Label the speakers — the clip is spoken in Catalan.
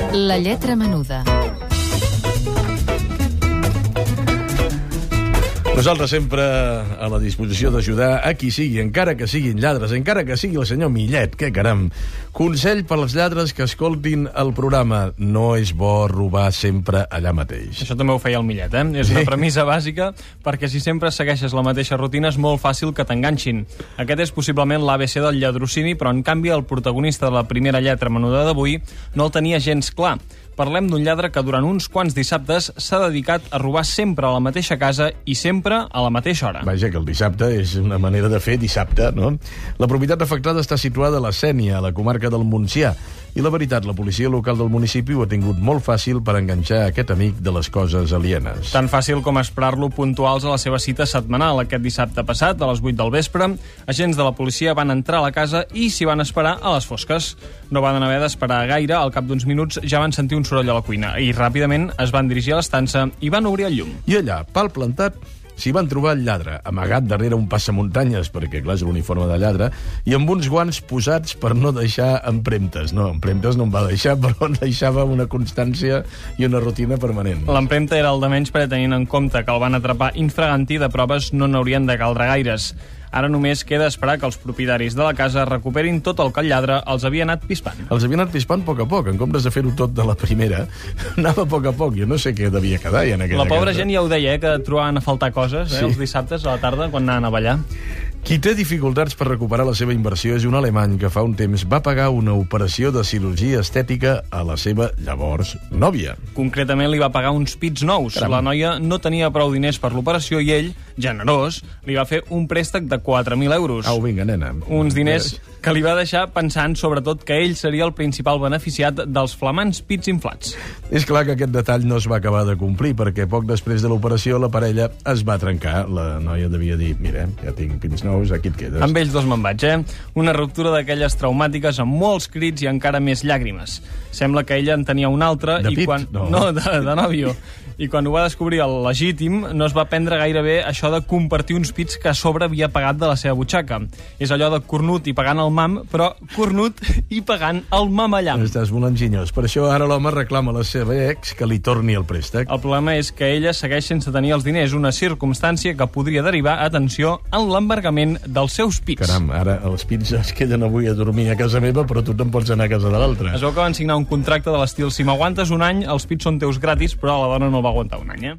Speaker 1: La lletra menuda.
Speaker 2: Nosaltres sempre a la disposició d'ajudar a qui sigui, encara que siguin lladres, encara que sigui el senyor Millet, que caram. Consell per als lladres que escoltin el programa: no és bo robar sempre allà mateix.
Speaker 3: Això també ho feia el Millet, eh? És una premissa bàsica, perquè si sempre segueixes la mateixa rutina és molt fàcil que t'enganxin. Aquest és possiblement l'ABC del lladrocini, però en canvi el protagonista de la primera lletra menuda d'avui no el tenia gens clar. Parlem d'un lladre que durant uns quants dissabtes s'ha dedicat a robar sempre a la mateixa casa i sempre a la mateixa hora.
Speaker 2: Vaja, que el dissabte és una manera de fer dissabte, no? La propietat afectada està situada a la Sénia, a la comarca del Montsià, i la veritat, la policia local del municipi ho ha tingut molt fàcil per enganxar aquest amic de les coses alienes.
Speaker 3: Tan fàcil com esperar-lo puntuals a la seva cita setmanal. Aquest dissabte passat, a les 8 del vespre, agents de la policia van entrar a la casa i s'hi van esperar a les fosques. No van haver d'esperar gaire, al cap d'uns minuts ja van sentir un soroll a la cuina i ràpidament es van dirigir a l'estança i van obrir el llum.
Speaker 2: I allà, pal plantat, s'hi van trobar el lladre, amagat darrere un passamuntanyes, perquè, clar, és l'uniforme de lladre, i amb uns guants posats per no deixar empremtes. No, empremtes no en va deixar, però en deixava una constància i una rutina permanent.
Speaker 3: L'empremta era el de menys, perquè tenint en compte que el van atrapar infraganti, de proves no n'haurien de caldre gaires. Ara només queda esperar que els propietaris de la casa recuperin tot el que el lladre els havia anat pispant.
Speaker 2: Els havia anat pispant a poc, en comptes de fer-ho tot de la primera, anava a poc. Jo no sé què devia quedar ja en aquella casa.
Speaker 3: La pobra gent ja ho deia, que trobaven a faltar coses, els dissabtes a la tarda, quan anaven a ballar.
Speaker 2: Qui té dificultats per recuperar la seva inversió és un alemany que fa un temps va pagar una operació de cirurgia estètica a la seva llavors nòvia.
Speaker 3: Concretament li va pagar uns pits nous.
Speaker 2: Caram.
Speaker 3: La noia no tenia prou diners per l'operació i ell, generós, li va fer un préstec de 4.000 euros.
Speaker 2: Au, vinga, nena.
Speaker 3: Uns diners que li va deixar pensant, sobretot, que ell seria el principal beneficiat dels flamants pits inflats.
Speaker 2: És clar que aquest detall no es va acabar de complir, perquè poc després de l'operació la parella es va trencar. La noia devia dir: mira, ja tinc pits nous, aquí et quedes.
Speaker 3: Amb ells dos me'n vaig, eh? Una ruptura d'aquelles traumàtiques amb molts crits i encara més llàgrimes. Sembla que ella en tenia un altre
Speaker 2: de
Speaker 3: i
Speaker 2: pit?
Speaker 3: quan...
Speaker 2: No,
Speaker 3: de nòvio. I quan ho va descobrir el legítim, no es va prendre gaire bé això de compartir uns pits que a sobre havia pagat de la seva butxaca. És allò de cornut i pagant el mam, però cornut i pagant el mamallam.
Speaker 2: Estàs molt enginyós. Per això ara l'home reclama a la seva ex que li torni el préstec.
Speaker 3: El problema és que ella segueix sense tenir els diners, una circumstància que podria derivar, atenció, en l'embargament dels seus pits.
Speaker 2: Caram, ara els pits es queden avui a dormir a casa meva, però tu te'n pots anar a casa de l'altre.
Speaker 3: Es veu que van signar un contracte de l'estil: si m'aguantes un any, els pits són teus gratis, però la dona no va aguantar un any, eh?